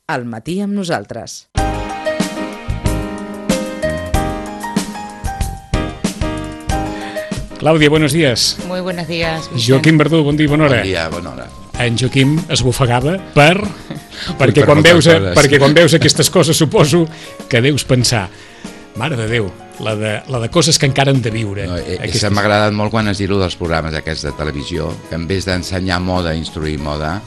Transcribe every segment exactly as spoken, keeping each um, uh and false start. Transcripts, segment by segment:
Al matí amb nosaltres. Clàudia, buenos días. Muy buenos días, Vicent. Joaquim Verdú, bon dia, bona hora. Bon dia, bona hora. En Joaquim es bufegava per... perquè, quan veus, perquè quan veus aquestes coses suposo que deus pensar, mare de Déu, la de, la de coses que encara han de viure. No, eh, aquestes... M'ha agradat molt quan has dit-ho dels programes aquests de televisió, que en vez d'ensenyar moda, instruir moda,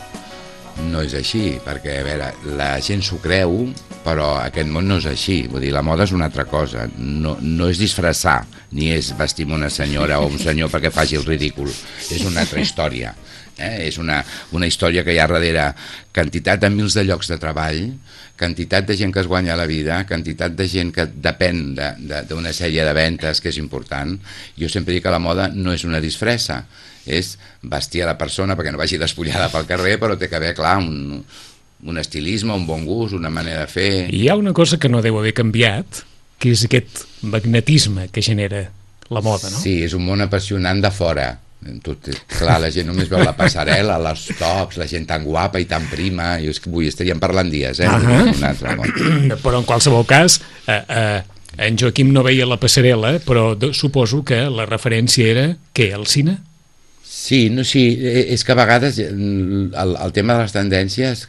no és així, perquè, a veure, la gent s'ho creu, però aquest món no és així. Vull dir, la moda és una altra cosa. No, no és disfressar, ni és vestir una senyora o un senyor perquè faci el ridícul. És una altra història. Eh? És una, una història que hi ha darrere quantitat de mils de llocs de treball, quantitat de gent que es guanya la vida, quantitat de gent que depèn d'una de, de, sèrie de ventes, que és important. Jo sempre dic que la moda no és una disfressa, és vestir a la persona perquè no vagi despullada pel carrer, però té que haver, clar, un, un estilisme, un bon gust, una manera de fer... Hi ha una cosa que no deu haver canviat, que és aquest magnetisme que genera la moda, no? Sí, és un món apassionant de fora. Tot, clar, la gent només veu la passarel·la, les tops, la gent tan guapa i tan prima, i és que vull, estaríem parlant dies, eh? Uh -huh. Un altre món. Però en qualsevol cas, eh, eh, en Joaquim no veia la passarel·la, però de, suposo que la referència era, què, el cine? Sí, no, sí, és que a vegades el, el tema de les tendències,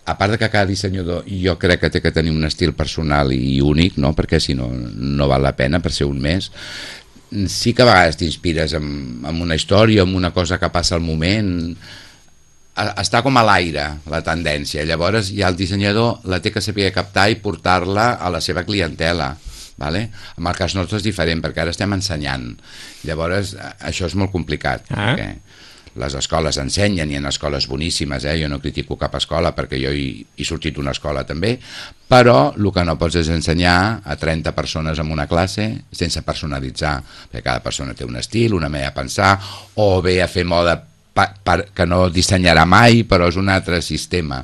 a part de que cada dissenyador jo crec que té que tenir un estil personal i únic, no? Perquè si no, no val la pena per ser un més, sí que a vegades t'inspires en, en una història, en una cosa que passa al moment, està com a l'aire la tendència, llavors ja el dissenyador la té que saber captar i portar-la a la seva clientela. Vale? En el cas nostre és diferent perquè ara estem ensenyant, llavors això és molt complicat, ah. perquè les escoles ensenyen, i en escoles boníssimes, eh? Jo no critico cap escola perquè jo hi, he sortit d'una escola també, però el que no pots és ensenyar a trenta persones en una classe sense personalitzar, perquè cada persona té un estil, una manera de pensar, o bé a fer moda pa, pa, que no dissenyarà mai, però és un altre sistema,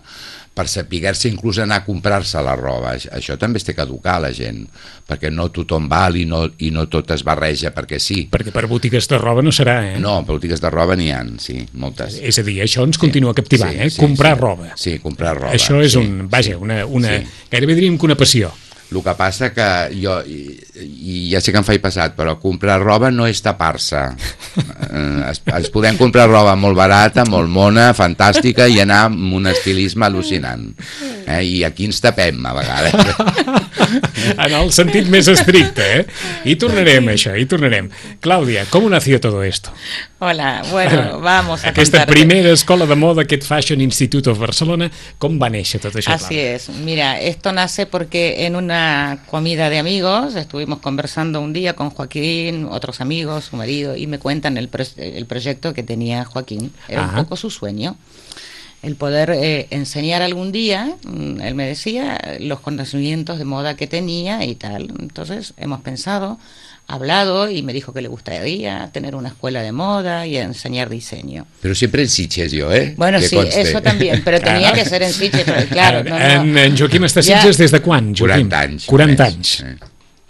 per saber-se inclús anar a comprar-se la roba. Això també es té que educar a la gent, perquè no tothom val i no, i no tot es barreja perquè sí. Perquè per botigues de roba no serà, eh? No, per botigues de roba n'hi ha, sí, moltes. És a dir, això ens continua sí, captivant, sí, eh? Sí, comprar sí. roba. Sí, comprar roba. Això és sí, un, vaja, sí, una, una sí. gairebé diríem que una passió. El que passa que jo, i, i ja sé que em faig passat, però comprar roba no és tapar-se. Eh, es, es podem comprar roba molt barata, molt mona, fantàstica, i anar amb un estilisme al·lucinant. Eh? I aquí ens tapem, a vegades. En el sentit més estricte, eh? I tornarem a això, i tornarem. Clàudia, com nació todo esto? Hola, bueno, vamos a Aquesta contarte. primera escola de moda, aquest Fashion Institute of Barcelona, com va néixer tot això? Así es, mira, esto nace porque en una comida de amigos estuvimos conversando un día con Joaquín, otros amigos, su marido, y me cuentan el, pro el proyecto que tenía Joaquín. Era Ajá. un poco su sueño, el poder eh, enseñar algún día, él me decía, los conocimientos de moda que tenía y tal. Entonces hemos pensado, hablado, y me dijo que le gustaría tener una escuela de moda y enseñar diseño. Pero siempre en Sitges yo, ¿eh? Bueno, que sí, conste. Eso también, pero tenía que ser en Sitges, pero claro. No, no. En, en Joaquim està a Sitges des de quan, Joaquim? quaranta anys. quaranta anys. Eh.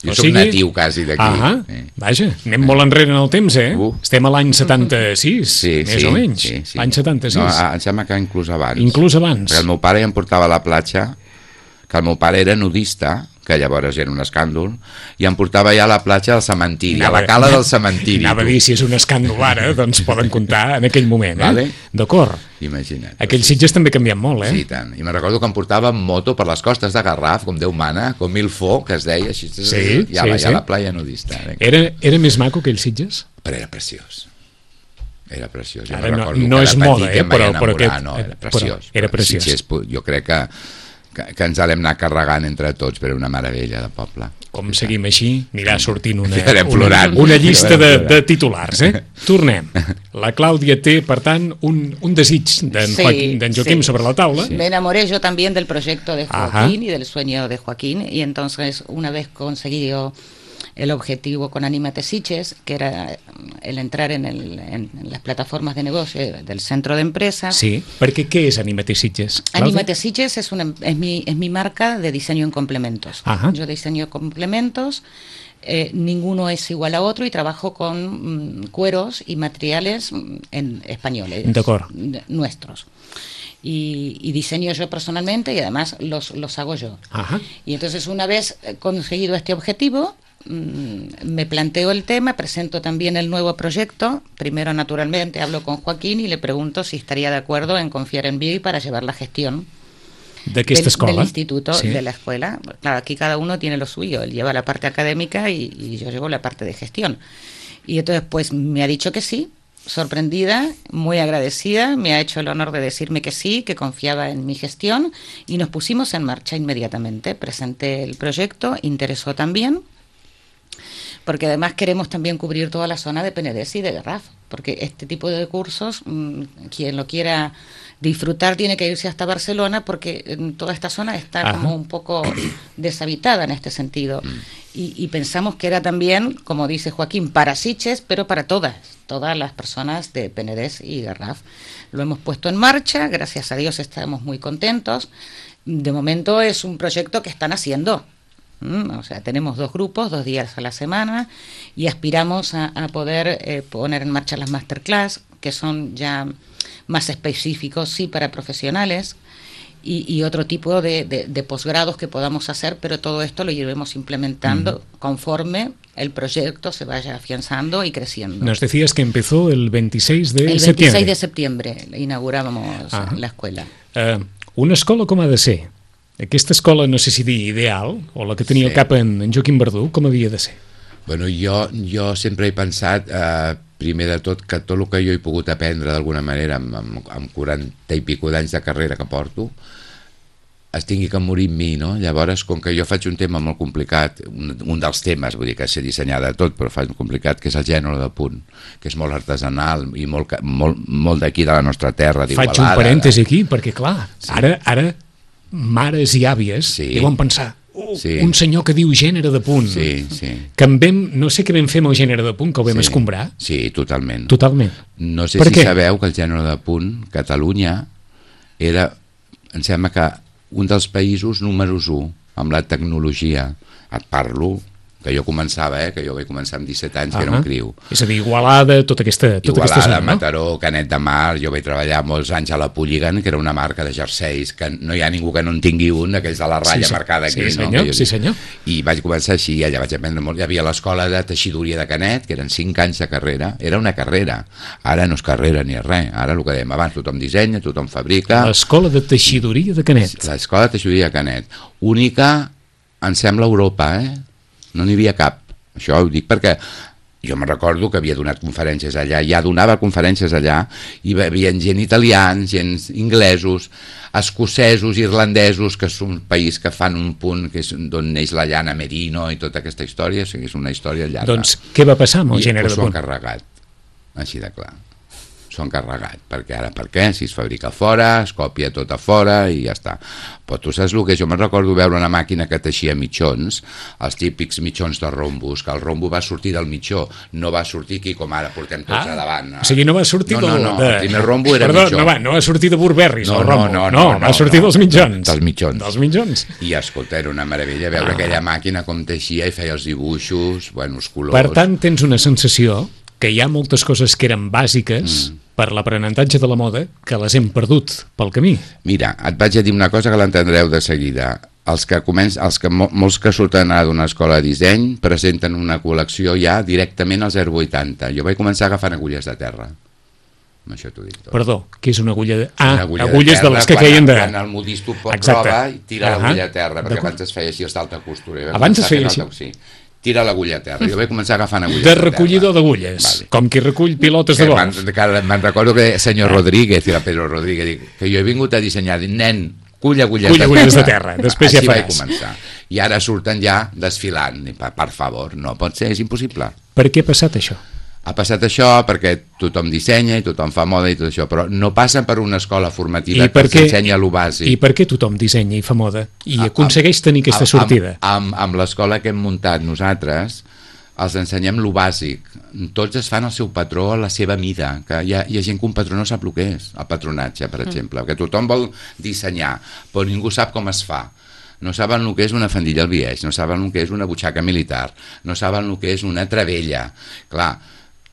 Jo o soc sigui... natiu quasi d'aquí. Ah, eh. Vaja, anem eh. molt enrere en el temps, eh? Uh. Estem a l'any setanta-sis, sí, més sí, o menys. Sí, sí. L'any setanta-sis. No, em sembla que inclús abans. Inclús abans. Perquè el meu pare ja em portava a la platja, que el meu pare era nudista, que llavors era un escàndol, i em portava ja a la platja del cementiri, anava, a la cala del cementiri. Anava a dir, si és un escàndol ara, doncs poden comptar en aquell moment, eh? Vale. D'acord. Imagina't. Aquells Sitges també canvien molt, eh? Sí, tant. I me recordo que em portava en moto per les costes de Garraf, com Déu mana, com mil fo, que es deia, així, sí, ja, sí, ja sí. a la playa nudista. Era, era més maco que els Sitges? Però era preciós. Era preciós. Jo ara me no, recordo no que és moda, eh? Però, però aquest, no, era preciós. Però era preciós. Sitges, jo crec que Que, que ens l'hem anat carregant entre tots, però una meravella de poble. Com seguim així, anirà sortint una, una, una llista de, de titulars, eh? Tornem. La Clàudia té, per tant, un, un desig d'en sí, Joaquim, Joaquim sí. sobre la taula. Sí. Me enamoré yo también del proyecto de Joaquín Ajá. y del sueño de Joaquín, y entonces una vez conseguido el objetivo con Anímate Sitges, que era el entrar en, el, en, en las plataformas de negocio del centro de empresas. Sí, perquè què és Anímate Sitges? Anímate Sitges es, una, es, mi, es mi marca de diseño en complementos. Ajá. Yo diseño complementos, eh, ninguno es igual a otro, y trabajo con mm, cueros y materiales en españoles, D'acord. nuestros. y, y diseño yo personalmente y además los, los hago yo. Ajá. Y entonces una vez conseguido este objetivo, me planteo el tema, presento también el nuevo proyecto. Primero, naturalmente, hablo con Joaquín y le pregunto si estaría de acuerdo en confiar en mí para llevar la gestión d'aquesta del, escola. del instituto, sí. de la escuela. Claro, aquí cada uno tiene lo suyo. Él lleva la parte académica y, y yo llevo la parte de gestión. Y entonces, pues, me ha dicho que sí, sorprendida, muy agradecida, me ha hecho el honor de decirme que sí, que confiaba en mi gestión y nos pusimos en marcha inmediatamente. Presenté el proyecto, interesó también, porque además queremos también cubrir toda la zona de Penedès y de Garraf, porque este tipo de cursos, mmm, quien lo quiera disfrutar tiene que irse hasta Barcelona, porque en toda esta zona está Ajá. como un poco deshabitada en este sentido. Y, y pensamos que era también, como dice Joaquín, para Sitges, pero para todas, todas las personas de Penedès y Garraf. Lo hemos puesto en marcha, gracias a Dios estamos muy contentos. De momento es un proyecto que están haciendo. O sea, tenemos dos grupos, dos días a la semana, y aspiramos a, a poder eh, poner en marcha las masterclass, que son ya más específicos, sí, para profesionales, y, y otro tipo de, de, de posgrados que podamos hacer, pero todo esto lo iremos implementando uh-huh. conforme el proyecto se vaya afianzando y creciendo. Nos decías que empezó el veintiséis de el septiembre. El veintiséis de septiembre inaugurábamos uh-huh. la escuela. Uh, una escola com ha de ser? Aquesta escola, no sé si dir ideal, o la que tenia sí. al cap en, en Joaquim Verdú, com havia de ser? Bueno, jo, jo sempre he pensat, eh, primer de tot, que tot el que jo he pogut aprendre d'alguna manera amb, amb, amb quaranta i pico d'anys de carrera que porto, es tingui que morir amb mi, no? Llavors, com que jo faig un tema molt complicat, un, un dels temes, vull dir que sé dissenyar de tot, però faig un complicat, que és el gènere de punt, que és molt artesanal i molt, molt, molt d'aquí de la nostra terra, d'Igualada. Faig un parèntesi aquí, perquè clar, sí. ara... ara mares i àvies sí. deuen pensar oh, sí. un senyor que diu gènere de punt sí, sí. que en vam, no sé què vam fer amb el gènere de punt, que ho vam sí. escombrar. Sí, totalment. Totalment. No sé per si què? Sabeu que el gènere de punt, Catalunya, era, em sembla que un dels països números u amb la tecnologia. Et parlo que jo començava, eh, que jo vaig començar amb disset anys, uh-huh. que era un criu. És a dir, Igualada, tota aquesta, tota Igualada, aquesta zona, no? Mataró, Canet de Mar, jo vaig treballar molts anys a la Polígon, que era una marca de jerseis, que no hi ha ningú que no en tingui un, aquells de la ratlla sí, marcada aquí. Sí, senyor, no? sí, senyor. I vaig començar així, allà vaig aprendre molt. Hi havia l'escola de teixidoria de Canet, que eren cinc anys de carrera, era una carrera. Ara no és carrera ni res, ara el que dèiem abans, tothom dissenya, tothom fabrica. L'escola de teixidoria de Canet. L'escola de teixidoria de Canet. Única, em sembla, a Europa, eh? No n'hi havia cap. Això ho dic perquè jo me recordo que havia donat conferències allà, ja donava conferències allà, i hi havia gent italians, gent inglesos, escocesos, irlandesos, que és un país que fan un punt, que és d'on neix la llana merino i tota aquesta història, o sigui, és una història llarga. Doncs què va passar amb el I, gènere pues, de punt? S'ho han carregat, així de clar. S'ho han carregat, perquè ara per què? Si es fabrica fora, es copia tot a fora i ja està. Però tu saps el que és? Jo me'n recordo veure una màquina que teixia mitjons, els típics mitjons de rombos, que el rombo va sortir del mitjó, no va sortir aquí com ara portem tots ah, a davant. O sigui, no va sortir no, no, no, de... el primer rombo era Perdó, mitjó. No va, no va sortir de Burberry, no, el rombo. No, no, no, no, va sortir no, dels mitjons. Dels mitjons. Dels mitjons. I escolta, era una meravella veure ah. aquella màquina com teixia i feia els dibuixos, bueno, els colors... Per tant, tens una sensació que hi ha moltes coses que eren bàsiques mm. per l'aprenentatge de la moda que les hem perdut pel camí. Mira, et vaig a dir una cosa que l'entendreu de seguida. Els que, començ, els que molts que surten ara d'una escola de disseny presenten una col·lecció ja directament al zero coma vuitanta. Jo vaig començar agafant agulles de terra. Amb això t'ho dic tot. Perdó, què és una agulla de... Ah, agulla agulles de, terra, de les que quan, feien de... Quan el modisto pot prova i tira uh-huh. l'agulla a terra, perquè abans es feia així els d'alta costura. Abans es feia així? Sí. Tira l'agulla a terra. Jo vaig començar agafant agulles de recollidor d'agulles, vale. Com qui recull pilotes de golf. Me'n recordo que el senyor Rodríguez, i la Pedro Rodríguez, que jo he vingut a dissenyar, dic, nen, cull agulles, cull de, agulles terra. de terra. Després Així ja vaig començar. I ara surten ja desfilant. Per, per favor, no pot ser, és impossible. Per què ha passat això? Ha passat això perquè tothom dissenya i tothom fa moda i tot això, però no passa per una escola formativa que els ensenya lo bàsic. I per què tothom dissenya i fa moda i a, aconsegueix tenir aquesta amb, sortida? Amb, amb, amb l'escola que hem muntat nosaltres, els ensenyem lo bàsic. Tots es fan el seu patró a la seva mida, que hi ha, hi ha gent que un patró no sap el que és, el patronatge, per exemple, mm. que tothom vol dissenyar, però ningú sap com es fa. No saben el que és una faldilla al biaix, no saben el que és una butxaca militar, no saben el que és una travella. Clar,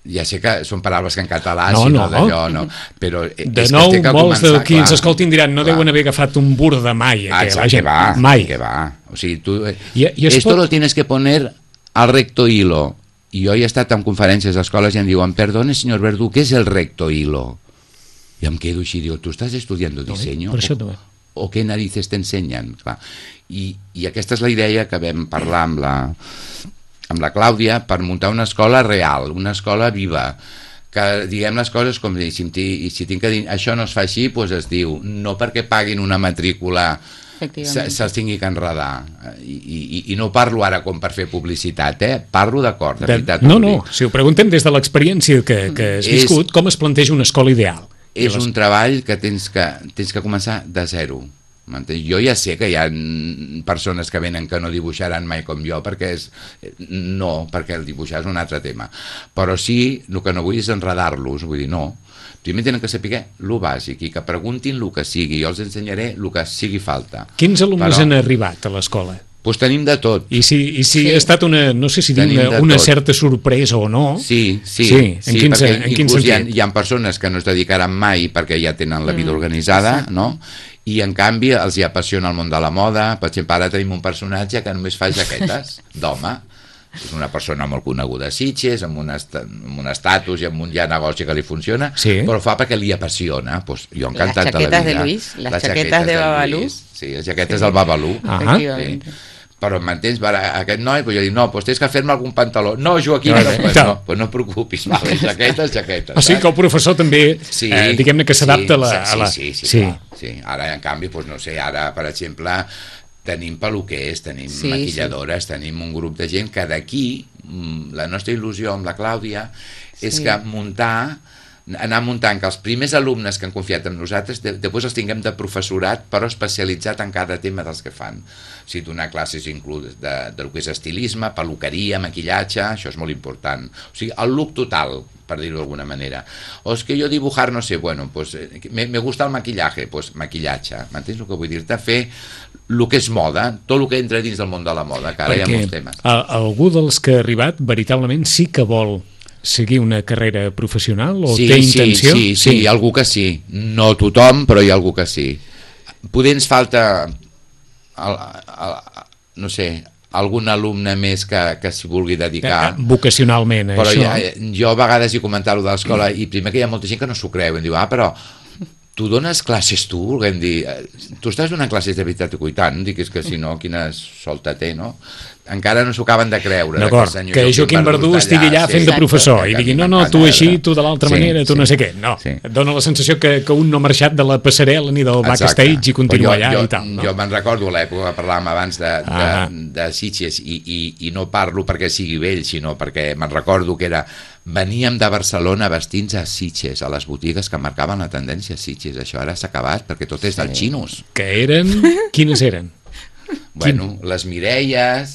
Ja sé que són paraules que en català, no, si no, no. d'allò, no. Però de nou, molts de qui ens escoltin diran no clar. Deuen haver agafat un bur de mai. Ah, que, la gent, que va, mai. Que va. O sigui, tu... I, i esto pot... lo tienes que poner al recto hilo. I jo he estat en conferències d'escoles i em diuen, perdone, senyor Verdú, què és el recto hilo? I em quedo així, digo, tu estàs estudiando diseño? No, per això no. O, o què narices t'ensenyen? I, I aquesta és la idea que vam parlar amb la, amb la Clàudia per muntar una escola real, una escola viva, que diguem les coses com si, si tinc que dir això no es fa així, doncs es diu no perquè paguin una matrícula se'ls tingui que enredar I, i, i no parlo ara com per fer publicitat, eh? Parlo d'acord de veritat, no, no, si ho preguntem des de l'experiència que, que has viscut, és, com es planteja una escola ideal? És un treball que tens que, tens que començar de zero. Jo ja sé que hi ha persones que venen que no dibuixaran mai com jo, perquè és... no, perquè el dibuixar és un altre tema, però sí, el que no vull és enredar-los, vull dir, no, primer tenen que saber el bàsic i que preguntin el que sigui, jo els ensenyaré el que sigui falta. Quins alumnes però, han arribat a l'escola? Doncs tenim de tot. I si, i si sí. ha estat una, no sé si dir una, una certa sorpresa o no? Sí, sí, sí, en sí quin, perquè en quin inclús hi ha, sentit? hi ha persones que no es dedicaran mai perquè ja tenen la vida organitzada, mm. no? I en canvi els hi apassiona el món de la moda. Per exemple, ara tenim un personatge que només fa jaquetes d'home, és una persona molt coneguda a Sitges, amb un, est amb un estatus i amb un ja negoci que li funciona, sí. però fa perquè li apassiona. Pues jo encantat de la vida. Les jaquetes de Luis, les, les jaquetes de Babalú. Sí, les jaquetes sí. del Babalú. Ah. Sí. Però m'entens, aquest noi, pues jo dic, no, pues tens que fer-me algun pantaló. No, Joaquim, no, pues no, pues no et preocupis, vale, jaquetes, jaquetes. O sigui que el professor també, sí, eh, diguem-ne que s'adapta sí, a la... Sí, sí, sí, sí. Clar, sí. Ara, en canvi, pues no sé, ara, per exemple, tenim peluquers, tenim sí, maquilladores, sí. tenim un grup de gent que d'aquí, la nostra il·lusió amb la Clàudia, és sí. que muntar... anar muntant que els primers alumnes que han confiat en nosaltres de, després els tinguem de professorat però especialitzat en cada tema dels que fan, o sigui, donar classes inclús de, de lo que és estilisme, peluqueria, maquillatge, això és molt important, o sigui, el look total, per dir-ho d'alguna manera. O és que jo dibujar, no sé, bueno, pues, me, me gusta el maquillaje, pues maquillatge, m'entens el que vull dir-te? Fer el que és moda, tot el que entra dins del món de la moda, que ara perquè hi ha molts temes. A, algú dels que ha arribat veritablement sí que vol seguir una carrera professional o sí, té intenció? Sí, sí, sí, hi ha algú que sí. No tothom, però hi ha algú que sí. Poder ens falta, el, el, no sé, algun alumne més que, que s'hi vulgui dedicar. Vocacionalment, però això. Ja, jo a vegades he comentat allò de l'escola i primer que hi ha molta gent que no s'ho creu, em diu, ah, però tu dones classes tu, volguem dir, tu estàs donant classes de veritat i tant, dic, és que si no, quina solta té, no? Encara no s'ho acaben de creure. D'acord, que, que Joaquim Verdú estigui allà sí, fent de professor i digui, no, no, tu així, tu de l'altra sí, manera, tu sí, no sé què. No, sí. Et dona la sensació que, que un no ha marxat de la passarel·la ni del backstage i continua jo, allà jo, i tal. No? Jo me'n recordo a l'època que parlàvem abans de, de, de Sitges i, i, i no parlo perquè sigui vell, sinó perquè me'n recordo que era veníem de Barcelona vestits a Sitges, a les botigues que marcaven la tendència a Sitges. Això ara s'ha acabat perquè tot és dels xinos. Que eren? Quines eren? Bueno, Quin? Les Mireies,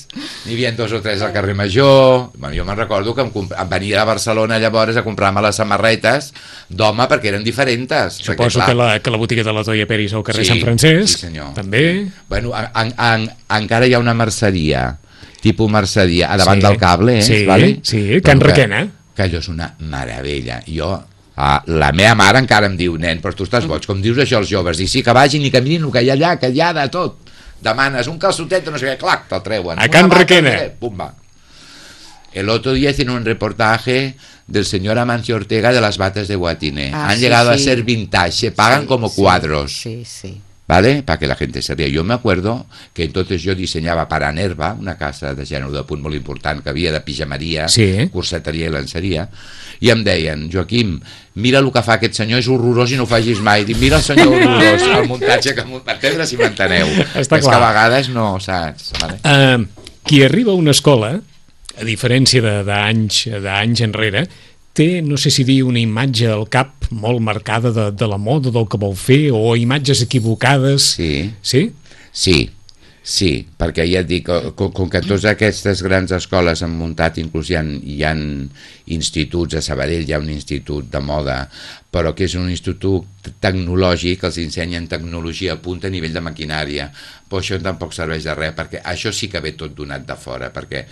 n'hi havia dos o tres al carrer Major. Bueno, jo me'n recordo que em, em venia a Barcelona llavors a comprar-me les samarretes d'home perquè eren diferents. Suposo perquè, que, la, que la botiga de la Toia Peris al carrer sí, Sant Francesc, sí, senyor. També. Bueno, en, en, encara hi ha una merceria, tipus merceria, a davant sí, del cable, eh? Sí, vale? sí, Can Requena. Que, que allò és una meravella. Jo... Ah, la meva mare encara em diu, nen, però tu estàs boig, com dius això als joves? Dic, sí, que vagin i caminin el que hi ha allà, que hi ha de tot. Demanes un calçotet o no sé què, clac, te'l treuen. A Can Requena. Pumba. El otro día hicieron un reportaje del señor Amancio Ortega de las batas de Guatine. Ah, Han sí, llegado sí. a ser vintage, se pagan sí, como sí, cuadros. Sí, sí. ¿Vale? Para que la gente se ría. Yo me acuerdo que entonces yo diseñaba para Nerva, una casa de gènere de punt molt important que havia de pijamaria, sí. corseteria i lenceria, i em deien, Joaquim, mira el que fa aquest senyor, és horrorós i no ho facis mai. Dic, mira el senyor horrorós, el muntatge que m'entendrà si m'enteneu. Està és clar. Que a vegades no, saps? Vale? Uh, qui arriba a una escola, a diferència d'anys d'anys enrere, té, no sé si dir, una imatge al cap molt marcada de, de la moda, del que vol fer, o imatges equivocades. Sí. Sí? Sí, sí, perquè ja et dic, com, com que totes aquestes grans escoles han muntat, inclús hi ha, hi ha instituts, a Sabadell hi ha un institut de moda, però que és un institut tecnològic, els ensenyen tecnologia a punt a nivell de maquinària, però això tampoc serveix de res, perquè això sí que ve tot donat de fora, perquè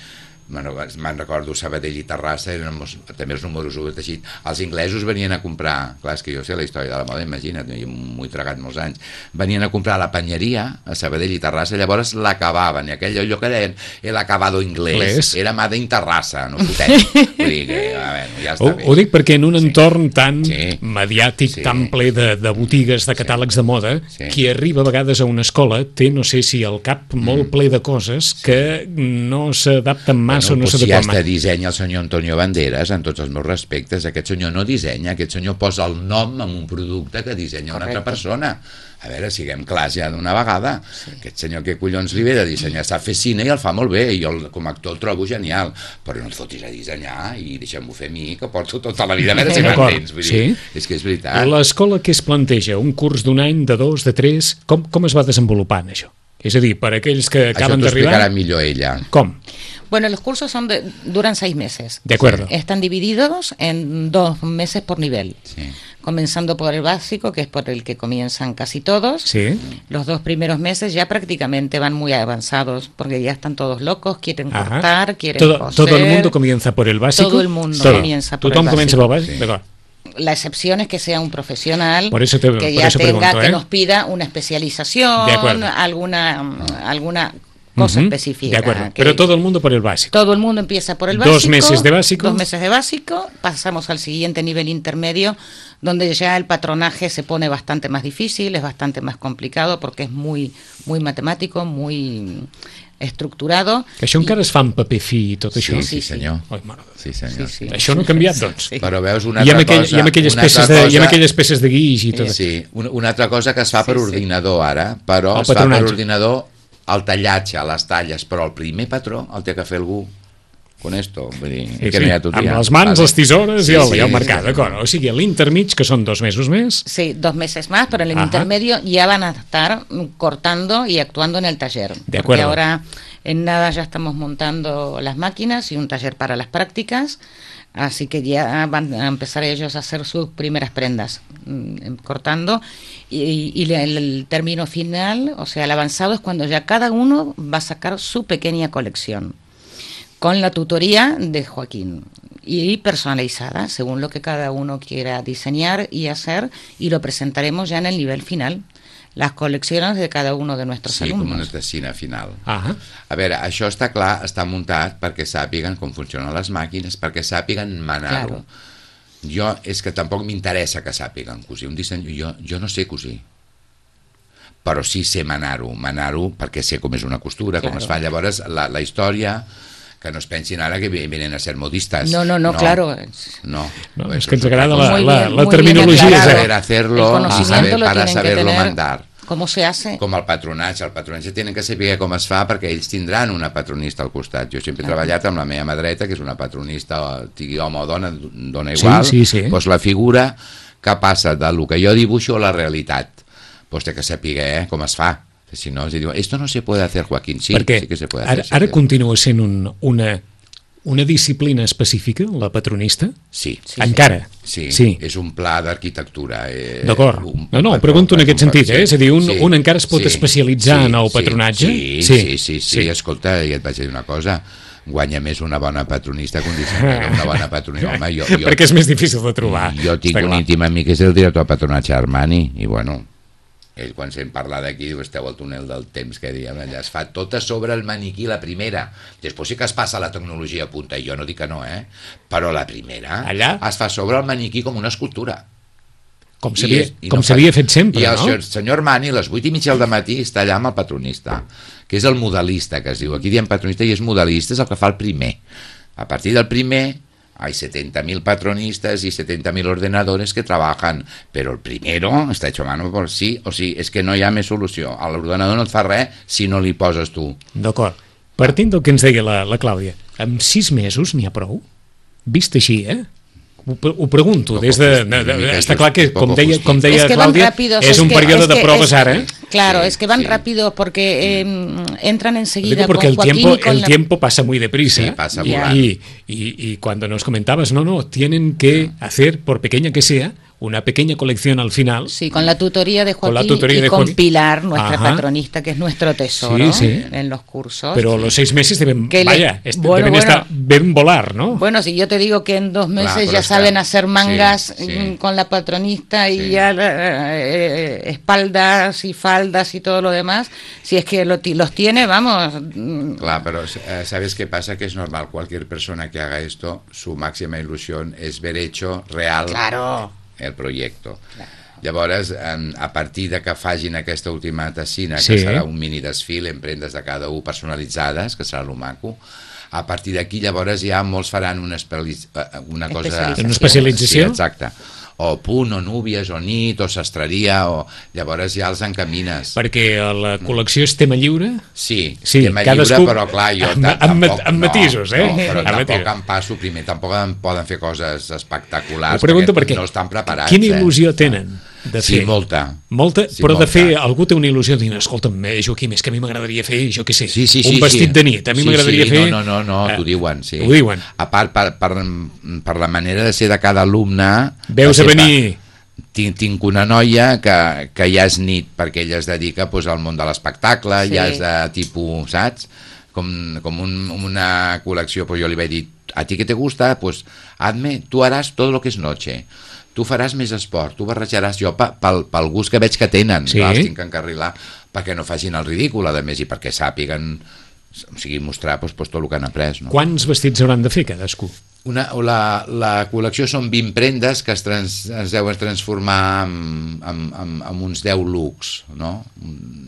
me'n recordo, Sabadell i Terrassa eren els, també els números u de teixit. Els inglesos venien a comprar, clar, és que jo sé la història de la moda, imagina't, jo m'ho he tragat molts anys, venien a comprar la panyeria a Sabadell i Terrassa, llavors l'acabaven, i aquell allò que deien el acabado inglès, era Made in Terrassa, no fotem. Vull dir que, a veure, ja està ho, bé. Ho dic perquè en un Sí. entorn tan Sí. mediàtic, Sí. tan ple de, de botigues, de catàlegs de moda, Sí. qui arriba a vegades a una escola té, no sé si el cap molt ple de coses que no s'adapten massa o no Bueno, doncs s'adequen ja massa. està dissenya el senyor Antonio Banderas, en tots els meus respectes. Aquest senyor no dissenya, aquest senyor posa el nom en un producte que dissenya una altra persona. A veure, siguem clars ja d'una vegada. Sí. Aquest senyor que collons li ve de dissenyar, sap fer cine i el fa molt bé, i jo el, com a actor el trobo genial, però no et fotis a dissenyar i deixa'm-ho fer a mi, que porto tota la vida a veure si D'acord, m'entens. Vull sí. dir, és que és veritat. L'escola que es planteja, un curs d'un any, de dos, de tres, com, com es va desenvolupant això? És a dir, per aquells que Això acaben t'ho d'arribar... explicarà millor ella. Com? Bueno, los cursos son de, duran seis meses. De acuerdo. Están divididos en dos meses por nivel. Sí. Comenzando por el básico, que es por el que comienzan casi todos. Sí. Los dos primeros meses ya prácticamente van muy avanzados, porque ya están todos locos, quieren Ajá. cortar, quieren todo, coser. todo el mundo comienza por el básico. Todo el mundo Todo. comienza por Tothom el comença básico. pel bàsic? Sí. D'acord. La excepción es que sea un profesional Por eso te- que por ya eso tenga, pregunto, ¿eh? que nos pida una especialización, De acuerdo. alguna, alguna cosa Ujú, específica. De acuerdo. que- Pero todo el mundo por el básico. Todo el mundo empieza por el Dos básico. meses de básico. Dos meses de básico. Pasamos al siguiente nivel intermedio, donde ya el patronaje se pone bastante más difícil, es bastante más complicado porque es muy, muy matemático, muy estructurado. Que això encara es fa en paper fi i tot això. Sí, sí, senyor. Ai, mare de Déu. Sí, senyor. Sí, sí. Això no ha canviat, doncs. Sí. Però veus una I amb, altra aquell, cosa... i amb aquelles una peces altra de, i cosa- amb aquelles peces de guix i tot. Sí, una, una altra cosa que es fa per Sí, sí. ordinador ara, però El es fa per patronatge. ordinador el tallatge, les talles, però el primer patró el té que fer algú con esto, vull dir, Sí, que sí. no hi ha tot Amb dia. les mans, Vale. les tisores Sí, i el, sí, i el sí, mercat, sí. d'acord. O sigui, l'intermig, que són dos mesos més, Sí, dos meses más, pero en el Ajá. intermedio ya van a estar mm, cortando y actuando en el taller. De Porque acuerdo. ahora en nada ya estamos montando las máquinas y un taller para las prácticas, así que ya van a empezar ellos a hacer sus primeras prendas mm, cortando y, y el, el término final, o sea, el avanzado es cuando ya cada uno va a sacar su pequeña colección con la tutoría de Joaquín y personalizada según lo que cada uno quiera diseñar y hacer, y lo presentaremos ya en el nivel final, las colecciones de cada uno de nuestros Sí, com una alumnos. tessina final. ah, A veure, això està clar, està muntat perquè sàpiguen com funcionen les màquines, perquè sàpiguen manar-ho. Claro. Jo, és que tampoc m'interessa que sàpiguen cosir. Un disseny, jo, jo no sé cosir, però sí sé manar-ho, manar-ho perquè sé com és una costura, com Claro. es fa. Llavors, la, la història, que no es pensin ara que vienen a ser modistas. No, no, no, claro. No, no, Pues és que ens otra agrada cosa. la, Muy la, bien, la muy terminologia. bien és, aclarado. saber hacerlo, El conocimiento saber, lo para tienen que saberlo tener. mandar. ¿Cómo se hace? Com el patronatge, el patronatge tenen que saber com es fa perquè ells tindran una patronista al costat. Jo sempre he Clar. treballat amb la meva mà dreta, que és una patronista, sigui home o dona, dona Sí, igual, sí, sí. Doncs la figura que passa de lo que jo dibuixo a la realitat, doncs té que saber eh, com es fa. Si no, els diuen, esto no se puede hacer, Joaquín. Sí, perquè sí que se puede ara, hacer. Sí, ara que- continua sent un, una, una disciplina específica, la patronista? Sí. Sí, Encara? Sí, sí. és un pla d'arquitectura. Eh, D'acord. un- No, no, un pregunto en patró, aquest un sentit, patró, eh? És a dir, un, sí, un encara es pot sí, especialitzar sí, en el sí, patronatge? Sí, sí, sí, sí, sí, sí. Escolta, i et vaig dir una cosa, guanya més una bona patronista que un dissenyador, una bona patronista. Home, jo, jo, Perquè és més difícil de trobar. jo tinc Està un clar. íntim amic que és el director de patronatge Armani, i bueno, ell quan se'n parla d'aquí diu, esteu al túnel del temps, que diem, allà es fa tot a sobre el maniquí, la primera. Després sí que es passa la tecnologia a punta, i jo no dic que no, eh? Però la primera Allà? es fa sobre el maniquí com una escultura. Com I s'havia és- i com no s'havia fa- fet sempre, I el no? senyor, senyor Armani, a les vuit i mitja del matí, està allà amb el patronista, que és el modelista, que es diu. Aquí diem patronista i és modelista, és el que fa el primer. A partir del primer hay setenta mil patronistas y setenta mil ordenadores que trabajan, pero el primero está hecho a mano por sí o sí, és que no hi ha més solució. L'ordenador no et fa res si no li poses tu. D'acord. Partint del que ens deia la, la Clàudia, amb sis mesos n'hi ha prou? Vist així, eh? Ho, ho pregunto, des de, de, de, de... Està clar que, com deia, com deia Es que van Clàudia, rápidos, és es un que- període es de que- proves es- ara. Claro, Sí, es que van sí. rápido porque eh, entran enseguida Digo porque con el Joaquín tiempo, y con el la... tiempo pasa muy deprisa. Sí, pasa y, volando. y, y, y cuando nos comentabas, no, no, tienen que hacer, por pequeña que sea, una pequeña colección al final. Sí, con la tutoría de Joaquín con la tutoría y de con Joaquín. Pilar, nuestra Ajá. patronista, que es nuestro tesoro Sí, sí. en los cursos. Pero los seis meses deben, Que le- vaya, est- bueno, deben, bueno. estar, deben volar, ¿no? Bueno, si yo te digo que en dos meses Claro, pero ya es saben que- hacer mangas sí, sí. mm, con la patronista y Sí. ya eh, eh, espaldas y faldas y todo lo demás, si es que lo ti- los tiene, vamos. mm, Clar, pero eh, ¿sabes qué pasa? Que es normal, cualquier persona que haga esto, su máxima ilusión es ver hecho real Claro. el proyecto. Llavors, en, a partir de que fagin aquesta última tessina, Sí. que serà un mini desfile en prendes de cada un personalitzades, que serà lo maco, a partir d'aquí llavors ja molts faran una, espeli- eh, una cosa... Especialització. Una especialització? Sí, exacte. O punt, o núvies, o nit, o sastreria, o... llavors ja els encamines. Perquè la col·lecció és tema lliure. Sí, Sí, tema cadascú- lliure, però clar, jo amb- ta- amb- tampoc... amb matisos, eh? No, però Amb tampoc matisos. em passo primer, tampoc em poden fer coses espectaculars, Ho pregunto perquè, no estan preparats. quina eh? il·lusió tenen de Sí, fer? molta. Molta, Sí, però de molta. fer, algú té una il·lusió de dir, escolta'm, eh, Joaquim, és que a mi m'agradaria fer, jo què sé, Sí, sí, un sí, vestit sí. de nit, a mi Sí, m'agradaria sí, fer... No, no, no, no Eh, t'ho diuen, sí. Ho diuen. A part, per, per, per la manera de ser de cada alumne... Veus que a sempre venir... Tinc, tinc una noia que, que ja és nit perquè ella es dedica pues, al món de l'espectacle, Sí. ja és de tipus, saps? Com, com un, una col·lecció, pues jo li vaig dir, a ti que te gusta, pues hazme, tu haràs tot lo que és noche, tu faràs més esport, tu barrejaràs jo pe- pel, pel gust que veig que tenen, Sí. clar, els tinc que encarrilar perquè no facin el ridícul, a més, i perquè sàpiguen, o sigui, mostrar pues, pues, tot el que han après, no? Quants vestits hauran de fer cadascú? Una, la, la col·lecció són vint prendes que es, trans, es deuen transformar en, en, en, en uns deu looks, ¿no?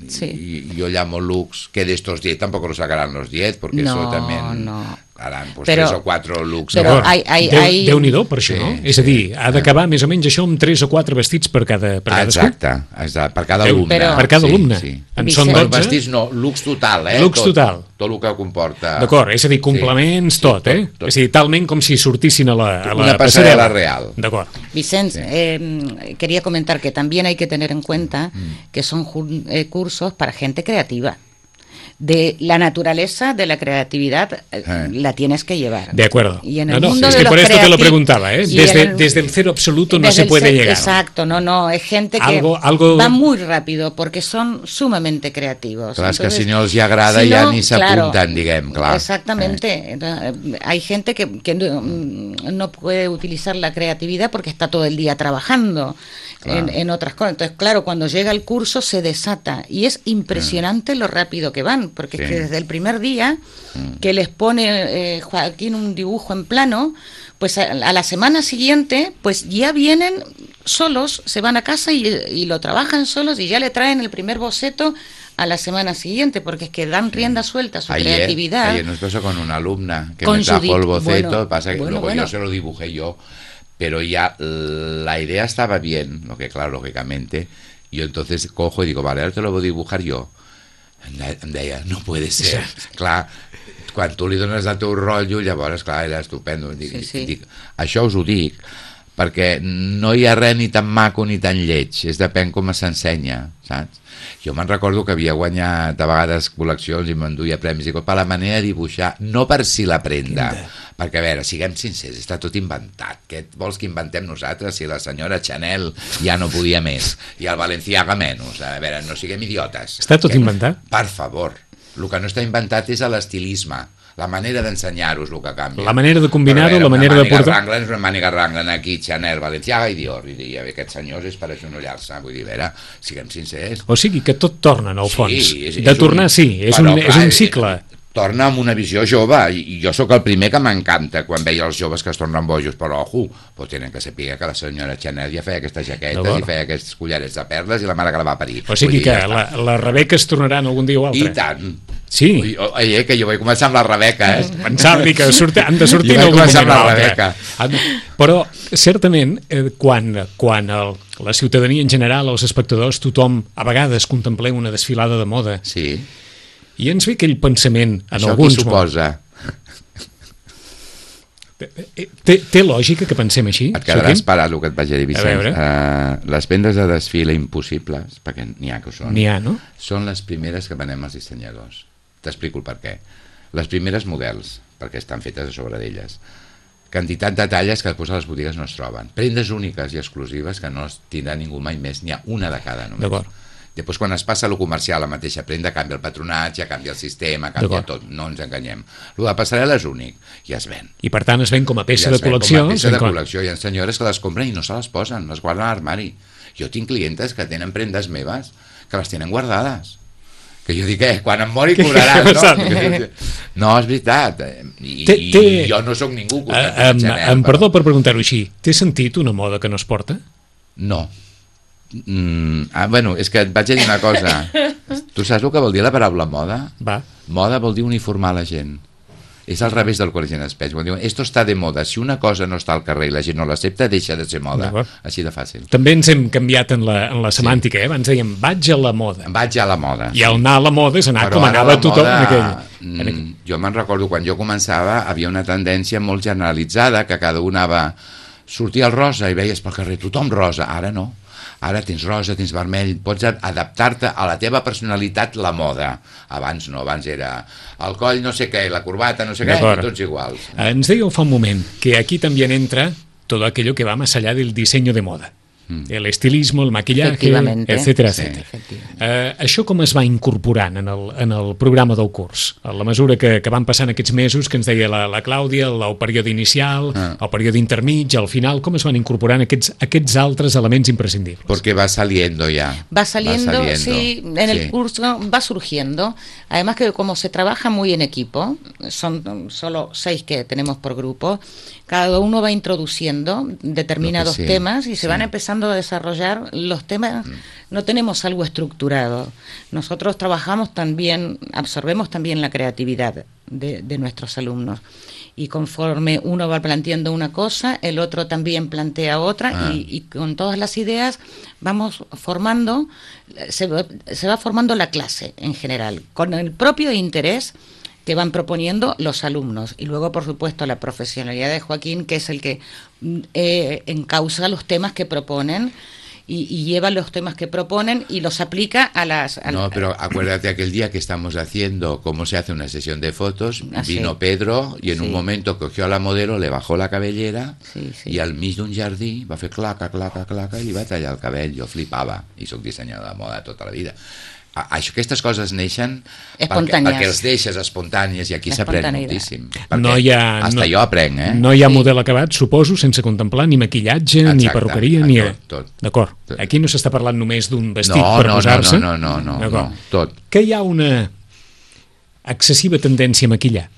Sí. Y yo llamo looks que de estos diez tampoco lo sacarán los diez, porque No, eso también no. harán pues, Pero- tres o cuatro looks. pero ¿no? hay- hay- Déu, hay- Déu-n'hi-do per això, Sí, no? És a sí. dir, ha d'acabar més o menys això amb tres o quatre vestits per cada per Ah, cadascú. exacte, exacte, per cada Déu, alumne. però- per cada sí, alumne. Sí. En Vicent- són Bueno, dotze. vestits no, looks total, eh? Looks tot, total. Tot el que comporta. D'acord, és a dir, complements, Sí, tot, sí, eh? tot, tot. És a dir, talment com si sortissin a la, a la Una passarel·la real. D'acord. Vicente, Sí. eh, quería comentar que también hay que tener en cuenta Mm. que son jun- eh, cursos para gente creativa. De la naturaleza de la creatividad eh, Eh. la tienes que llevar. De acuerdo. Y en No, el no, mundo es de que los por esto te lo creati- preguntaba, ¿eh? y Desde, en el- desde el cero absoluto no desde se el puede ser- llegar. Exacto, no, no, es gente que Algo- algo- va muy rápido porque son sumamente creativos. Clar, és que Entonces, si no els hi agrada si ja no, ni claro, s'apunten, diguem, clar. Exactamente. Entonces, eh, hay gente que, que no, mm, no puede utilizar la creatividad porque está todo el día trabajando Claro. en, en otras cosas. Entonces, claro, cuando llega el curso se desata y es impresionante lo rápido que van, porque es Sí. que desde el primer día que les pone eh, Joaquín un dibujo en plano, pues a, a la semana siguiente, pues ya vienen solos, se van a casa y, y lo trabajan solos y ya le traen el primer boceto a la semana siguiente, porque es que dan rienda suelta a su Ayer, creatividad. ayer nos pasó con una alumna que Con me su trajo di- el boceto, bueno, pasa que bueno, luego bueno. yo se lo dibujé yo, pero ya la idea estaba bien, lo que claro, lógicamente, yo entonces cojo y digo, vale, ahora te lo voy a dibujar yo. Em de- em deia, no puede ser. Clar, quan tu li dones el teu rotllo, llavors, clar, era estupendo. Dic, Sí, sí. dic, això us ho dic perquè no hi ha res ni tan maco ni tan lleig, és depèn com s'ensenya, saps? Jo me'n recordo que havia guanyat a vegades col·leccions i m'enduia premis i tot per la manera de dibuixar, no per si la prenda, perquè a veure, siguem sincers, està tot inventat, què et vols que inventem nosaltres si la senyora Chanel ja no podia més i el Balenciaga menys, a veure, no siguem idiotes. Està tot Que- inventat? Per favor, el que no està inventat és l'estilisme, la manera d'ensenyar-vos el que canvia. La manera de combinar-ho, Però a veure, la manera de una màniga portar- Wrangler és una màniga Wrangler aquí, Chanel, Balenciaga i Dior, i dir, aquests senyors és per agenollar-se, vull dir, a veure, siguem sincers. O sigui que tot torna, en el fons. és- de és tornar, un- sí, és però, un, és clar, un cicle. Torna amb una visió jove, i i jo sóc el primer que m'encanta quan veia els joves que es tornen bojos, però ojo, pues tenen que saber que la senyora Chanel ja feia aquestes jaquetes D'acord. i feia aquests collarets de perles i la mare que la va parir. O sigui Vull dir, que ja està. la, la Rebeca es tornaran algun dia o altre. I tant. Sí. Ui, oi, eh, que jo vaig començar amb la Rebeca, eh? Pensava que surti, han de sortir Jo en vaig algun començar moment o amb la altre. Rebeca. Han- Però, certament, eh, quan, quan el, la ciutadania en general, els espectadors, tothom, a vegades contemplem una desfilada de moda, Sí. i ens ve aquell pensament en Això alguns qui suposa? Eh, Té, té lògica que pensem així? Et quedaràs Joaquim? parat el que et vaig a dir, Vicenç. veure. Uh, les vendes de desfile impossibles, perquè n'hi ha que ho són, N'hi ha, no? són les primeres que venem els dissenyadors. T'explico el per què. Les primeres models, perquè estan fetes a sobre d'elles. quantitat de talles que després a les botigues no es troben. Prendes úniques i exclusives que no es tindrà ningú mai més, n'hi ha una de cada només. D'acord. Després, quan es passa a lo comercial, la mateixa prenda canvia el patronatge, canvia el sistema, canvia tot, no ens enganyem. Lo de passarel·la és únic, i es ven. I per tant es ven com a peça I de col·lecció. Com a peça de col·lecció. Hi ha senyores que les compren i no se les posen, les guarden a l'armari. Jo tinc clientes que tenen prendes meves que les tenen guardades. Que jo dic, eh, quan em mori cobraran, no? No, és veritat. I, té, té... i jo no sóc ningú. Uh, em, em perdó per preguntar-ho així. Té sentit una moda que no es porta? No. Mm, ah, bueno, és que et vaig a dir una cosa. Tu saps el que vol dir la paraula moda? Va. Moda vol dir uniformar la gent. És al revés del que la gent es pensa. Quan diuen, esto està de moda, si una cosa no està al carrer i la gent no l'accepta, deixa de ser moda. Així de fàcil. També ens hem canviat en la, en la semàntica, sí. eh? Abans dèiem, vaig a la moda. Vaig a la moda. I el anar a la moda és anar Però com anava tothom moda, en aquell. Mm, en aquell. Jo me'n recordo, quan jo començava, havia una tendència molt generalitzada, que cada un anava... Sortia el rosa i veies pel carrer tothom rosa. Ara no. Ara tens rosa, tens vermell, pots adaptar-te a la teva personalitat, la moda. Abans no, abans era el coll no sé què, la corbata no sé què, i tots iguals. Ens dèieu fa un moment que aquí també entra todo aquello que va más allá del diseño de moda. Mm. El estilismo, el maquillaje, etcètera, sí, etcètera. Uh, això com es va incorporant en el, en el programa del curs? A la mesura que, que van passant aquests mesos, que ens deia la, la Clàudia, el, el període inicial, ah. el període intermig, al final, com es van incorporant aquests, aquests altres elements imprescindibles? Porque va saliendo ya. Va saliendo, va saliendo. sí, en el sí. curso va surgiendo. Además que como se trabaja muy en equipo, son solo seis que tenemos por grupo, cada uno va introduciendo determinados sí, temas y se sí. van empezando a desarrollar los temas. Mm. No tenemos algo estructurado. Nosotros trabajamos también, absorbemos también la creatividad de, de nuestros alumnos. Y conforme uno va planteando una cosa, el otro también plantea otra ah. y, y con todas las ideas vamos formando, se, se va formando la clase en general, con el propio interés que van proponiendo los alumnos. Y luego, por supuesto, la profesionalidad de Joaquín, que es el que eh, encausa los temas que proponen y, y lleva los temas que proponen y los aplica a las... A no, pero acuérdate aquel día que estamos haciendo cómo se hace una sesión de fotos, ah, vino sí. Pedro y en sí. un momento cogió a la modelo, le bajó la cabellera sí, sí. i al mig d'un jardí va fer claca, claca, claca i li va tallar el cabell. Jo flipava i soc dissenyador de moda tota la vida. Això, aquestes coses neixen perquè, perquè els deixes espontànies i aquí s'aprèn moltíssim. No hi ha, hasta no, jo aprenc, eh? No hi ha sí. model acabat, suposo, sense contemplar ni maquillatge, exacte, ni perruqueria, ni... Tot, tot. D'acord. Aquí no s'està parlant només d'un vestit no, per no, posar-se. No, no, no, no, no, tot. Que hi ha una excessiva tendència a maquillar?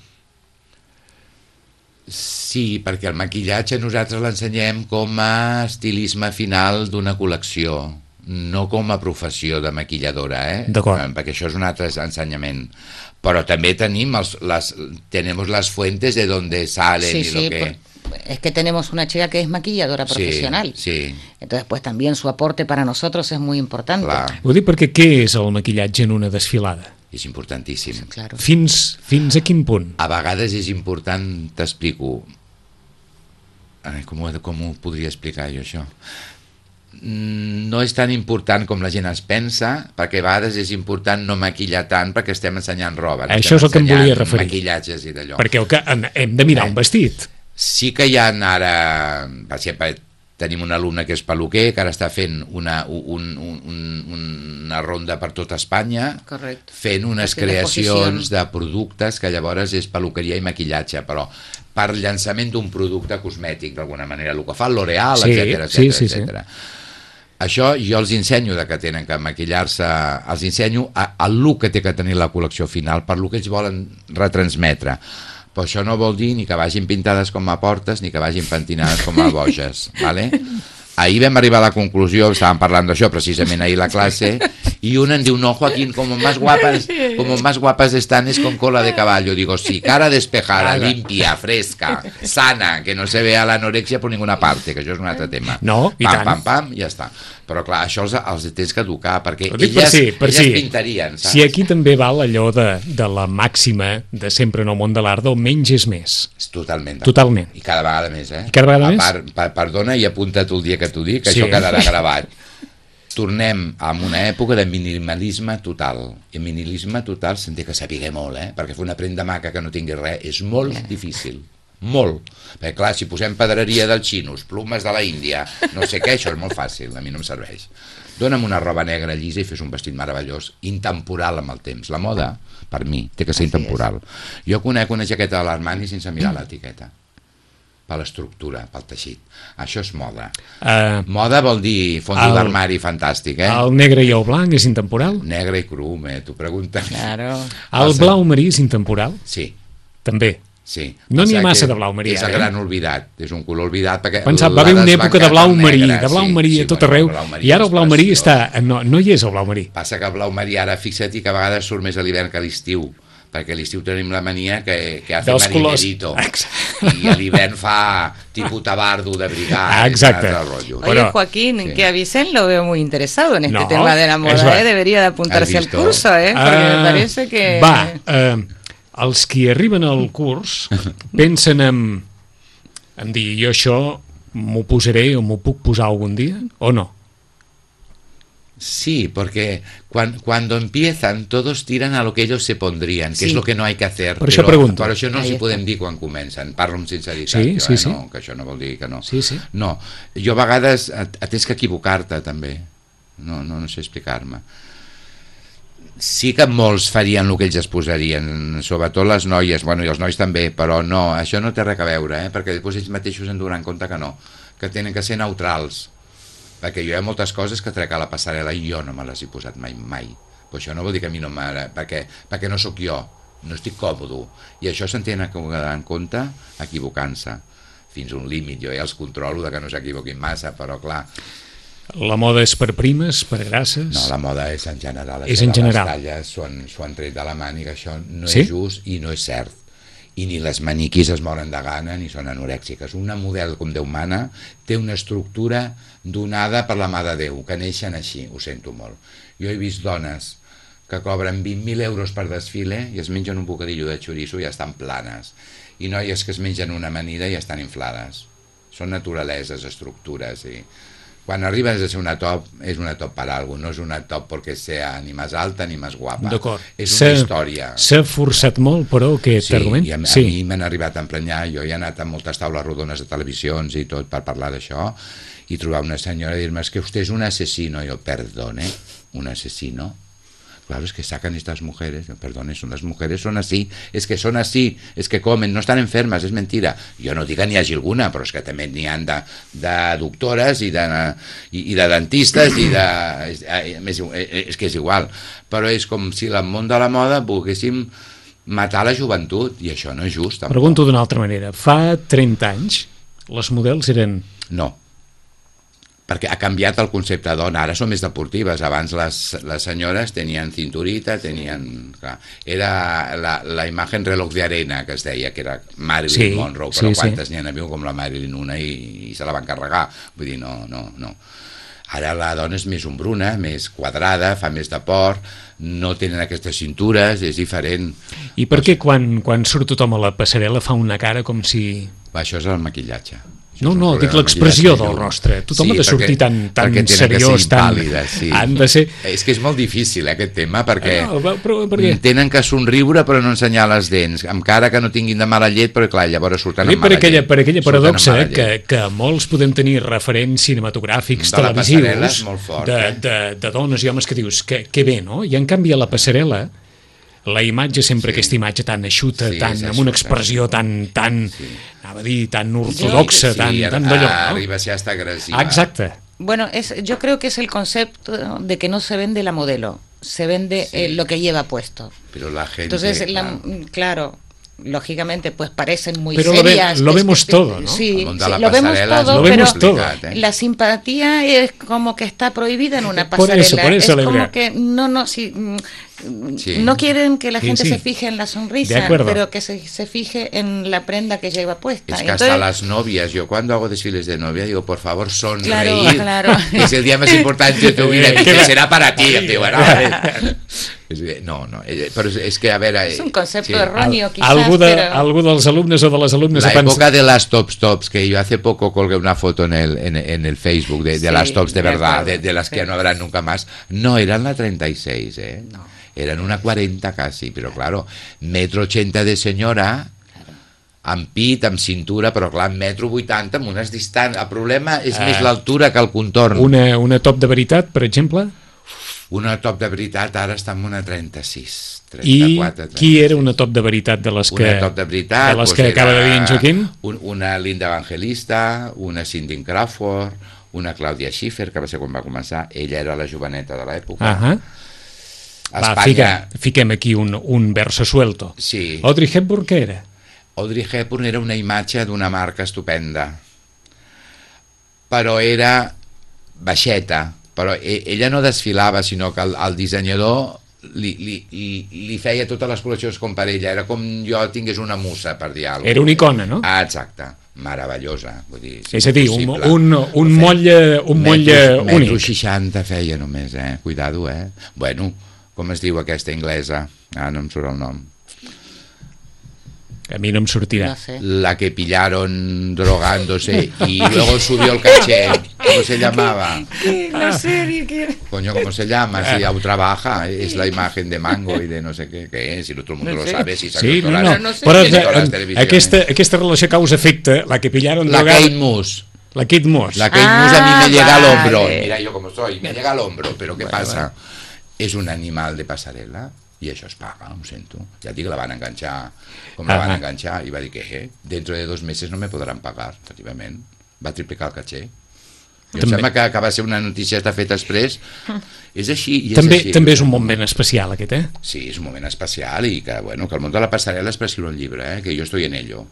Sí, perquè el maquillatge nosaltres l'ensenyem com a estilisme final d'una col·lecció, no com a professió de maquilladora, eh? Perquè això és un altre ensenyament. Però també tenim els, les, tenemos las fuentes de donde salen sí, y lo sí, que... Es que tenemos una chica que es maquilladora profesional. Sí, sí. Entonces, pues también su aporte para nosotros es muy importante. Clar. Ho dic perquè què és el maquillatge en una desfilada? És importantíssim. Claro. Fins, fins a quin punt? A vegades és important, t'explico... Com, com ho podria explicar jo, això? No és tan important com la gent es pensa, perquè a vegades és important no maquillar tant perquè estem ensenyant roba. No? Això és el que em volia referir. Maquillatges i d'allò. Perquè el que hem de mirar eh? un vestit. Sí que hi ha ara... Per exemple, tenim un alumne que és peluquer, que ara està fent una, un, un, una ronda per tota Espanya, correcte, fent unes creacions de productes que llavors és peluqueria i maquillatge, però per llançament d'un producte cosmètic, d'alguna manera, el que fa L'Oreal, sí, etcètera, sí, etcètera, sí, etcètera. Sí. Això jo els ensenyo de que tenen que maquillar-se, els ensenyo el look que té que tenir la col·lecció final, per lo que ells volen retransmetre. Però això no vol dir ni que vagin pintades com a portes ni que vagin pentinades com a boges, ¿vale? Ahir vam arribar a la conclusió, estàvem parlant d'això precisament ahir a la clase, y una em diu, no, Joaquín, como más guapas, como más guapas están es con cola de caballo. Digo, sí, cara despejada, limpia, fresca, sana, que no se vea la anorexia por ninguna parte, que això és un altre tema. No, i pam, tant. Pam, pam, ja està. Però clar, això els, els tens que educar, perquè elles, per sí, per elles sí. pintarien, saps? Si aquí també val allò de, de la màxima de sempre en el món de l'art, del menys és més. Totalment. Totalment. I cada vegada més, eh? I cada vegada a més? part, per, perdona i apunta't el dia que t'ho dic, que sí. això quedarà gravat. Tornem a una època de minimalisme total. I el minimalisme total se'n té que saber molt, eh? Perquè fer una prenda maca que no tingui res és molt difícil. molt. Perquè clar, si posem pedreria dels xinos, plomes de la Índia, no sé què, això és molt fàcil, a mi no em serveix. Dóna'm una roba negra llisa i fes un vestit meravellós, intemporal amb el temps. La moda, per mi, té que ser intemporal. Jo conec una jaqueta de l'Armani sense mirar l'etiqueta, per l'estructura, pel teixit. Això és moda. Uh, moda vol dir fons d'armari fantàstic, eh? El negre i el blanc és intemporal? Negre i cru, eh? T'ho preguntes. Claro. El blau marí és intemporal? Sí. També? Sí. No n'hi ha massa de blau marí, és el gran oblidat, és un color oblidat perquè pensava, va haver una època de blau marí, de blau marí a tot arreu, i ara el blau marí està, no, no hi és el blau marí. Passa que el blau marí ara, fixa't, que a vegades surt més a l'hivern que a l'estiu, perquè a l'estiu tenim la mania que, que hace marinerito, i a l'hivern fa tipus tabardo de brigada. Exacte. Oye, Joaquín, sí. Que a Vicent lo veo muy interesado en este no, tema de la moda, ¿eh? Debería de apuntarse al curso, ¿eh? Porque uh, me parece que... Va, uh, els qui arriben al curs pensen en, en dir, jo això m'ho posaré o m'ho puc posar algun dia, o no? Sí, porque cuando, cuando empiezan todos tiran a lo que ellos se pondrían, que sí. Es lo que no hay que hacer. Per això pregunto. Però això no s'hi podem dir quan comencen, parlo amb sinceritat. Sí, jo, sí, eh? sí. No, que això no vol dir que no. Sí, sí. No, jo a vegades atès que equivocar-te també, no, no, no sé explicar-me. Sí que molts farien el que ells es posarien, sobretot les noies, bueno, i els nois també, però no, això no té res a veure, eh? Perquè després ells mateixos en donaran compte que no, que tenen que ser neutrals, perquè jo hi ha moltes coses que trec a la passarel·la i jo no me les he posat mai, mai. Però això no vol dir que a mi no m'agrada, perquè, perquè no sóc jo, no estic còmode, i això se'n tenen que donar en compte equivocant-se, fins a un límit, jo ja els controlo de que no s'equivoquin massa, però clar... La moda és per primes, per grasses? No, la moda és en general. És en general. Les talles s'ho han tret de la màniga, això no sí? És just i no és cert. I ni les maniquis es moren de gana ni són anorèxiques. Una model com Déu mana té una estructura donada per la mà de Déu, que neixen així, ho sento molt. Jo he vist dones que cobren vint mil euros per desfile i es mengen un bocadillo de xoriço i ja estan planes. I noies que es mengen una amanida i ja estan inflades. Són naturaleses, estructures i... Quan arribes a ser una top, és una top per alguna cosa, no és una top perquè sea ni més alta ni més guapa. D'acord. És una història. S'ha forçat molt, però, aquest sí, argument? I a, sí, a mi m'han arribat a emprenyar, jo he anat a moltes taules rodones de televisions i tot per parlar d'això, i trobar una senyora i dir-me, és que vostè és un asesino. Jo, perdone, un asesino? Claro, es que sacan estas mujeres, perdón, son las mujeres son así, es que son así, es que comen, no están enfermas, es mentira. Jo no dic que n'hi hagi alguna, però és que també n'hi ha de, de doctores i de, i, i de dentistes i de... És, és que és igual, però és com si el món de la moda volguéssim matar la joventut, i això no és just. Tampoc. Pregunto d'una altra manera, fa trenta anys les models eren... No, perquè ha canviat el concepte de dona, ara són més deportives, abans les, les senyores tenien cinturita, tenien... Clar, era la, la imagen reloj de arena que es deia, que era Marilyn sí, Monroe, però sí, quantes sí. N'hi ha hagut com la Marilyn una i, i se la van carregar, vull dir, no, no, no. Ara la dona és més ombruna, més quadrada, fa més de port, no tenen aquestes cintures, és diferent. I per què quan, quan surt tothom a la passarel·la fa una cara com si... Va, això és el maquillatge. No, no, dic l'expressió del rostre. Tothom sí, ha de sortir perquè, tan, tan seriós, tan... Sí. Han de ser... És que és molt difícil, eh, aquest tema, perquè no, però, per què? Tenen que somriure però no ensenyar les dents, amb cara que no tinguin de mala llet, però clar, llavors surten amb per mala aquella, llet. Per aquella paradoxa eh, que, que molts podem tenir referents cinematogràfics, de televisius, fort, de, eh? de, de dones i homes que dius, que, que bé, no? I en canvi a la passarel·la la imatge, sempre sí. Aquesta imatge tan eixuta, sí, tan, amb una expressió tan, tan sí. Anava a dir, tan ortodoxa, sí, tan, sí, tan d'allò, ¿no? Arriba si hasta agresiva. Exacte. Bueno, es, yo creo que es el concepto de que no se vende la modelo, se vende sí. eh, lo que lleva puesto. Pero la gente... Entonces, claro, la, claro lógicamente, pues parecen muy pero serias. Lo, ve, lo vemos este, todo, ¿no? Sí, sí lo vemos todo, lo vemos pero todo. La simpatía es como que está prohibida en una pasarela. Por eso, por eso es como que no, no, si, sí. no quieren que la gente sí, sí. se fije en la sonrisa, pero que se, se fije en la prenda que lleva puesta. Es que Entonces, hasta las novias, yo cuando hago desfiles de novia digo, por favor, sonreír, claro, claro. que es el día más importante de tu vida, que será para ti. Digo, no, no, pero es que a ver... Es un concepto sí. erróneo, quizás, algú, de, pero... algú dels alumnes o de les alumnes... La época de las tops tops, que yo hace poco colgué una foto en el, en, en el Facebook de, de sí, las tops de verdad, de, de las sí. que no habrán nunca más, no eran la treinta y seis, ¿eh? No. Eran una cuarenta casi, pero claro, metro ochenta de señora, claro. amb pit, amb cintura, però clar, amb metro vuitanta, amb unes distàncies. El problema és uh, més Ah. l'altura que el contorn. Una, una top de veritat, per exemple? Una top de veritat ara està en una trenta-sis. I trenta-quatre, trenta-sis. qui era una top de veritat de les que, Una top de veritat, de les doncs que acaba era de dir en Joaquim? un, una Linda Evangelista, una Cindy Crawford, una Clàudia Schiffer, que va ser quan va començar. Ella era la joveneta de l'època. Ahà. A Va, Espanya, fica, fiquem aquí un, un verso suelto. sí. Audrey Hepburn, què era? Audrey Hepburn era una imatge d'una marca estupenda, però era baixeta, però e- ella no desfilava, sinó que el, el dissenyador li, li, li, li feia totes les col·leccions com per ella, era com jo tingués una musa, per dir alguna cosa. Era una icona, no? Ah, exacte, meravellosa. Vull dir, És a dir, un, impossible. un, un Feia- molle, un molle metro, metro únic. seixanta feia només, eh? Cuidado, eh? Bueno, com es diu aquesta inglesa? Ah, no em surt el nom. A mi no em sortirà. No sé. La que pillaron drogándose y luego subió el caché. ¿Cómo se llamaba? La serie que... Coño, ¿cómo se llama? Si aún trabaja, es la imagen de Mango y de no sé qué, qué es, si todo el mundo No lo sé. sabe, si Sí, no, todas no. las- no sé. Però tiene todas las eh, televisiones. aquesta, aquesta relació causa-efecte, la que pillaron La drogada... Kate Moss. La Kate Moss. La Kate Ah, Moss a mí me llega al vale. hombro. Mira yo como soy, me llega al hombro, pero ¿qué Vale, pasa? Es un animal de pasarela i això es paga, ho sento. Ja et dic que la van enganxar, com la van Ah. enganxar, i va dir que eh, dentro de dos meses no me podran pagar, efectivament. Va triplicar el caché. I em També. sembla que, que va ser una notícia que està feta després. És així, i és També, així. també és un moment especial, aquest, eh? Sí, és un moment especial i que, bueno, que el món de la passarel·la és per escriure un llibre, eh? Que jo estoy en ello.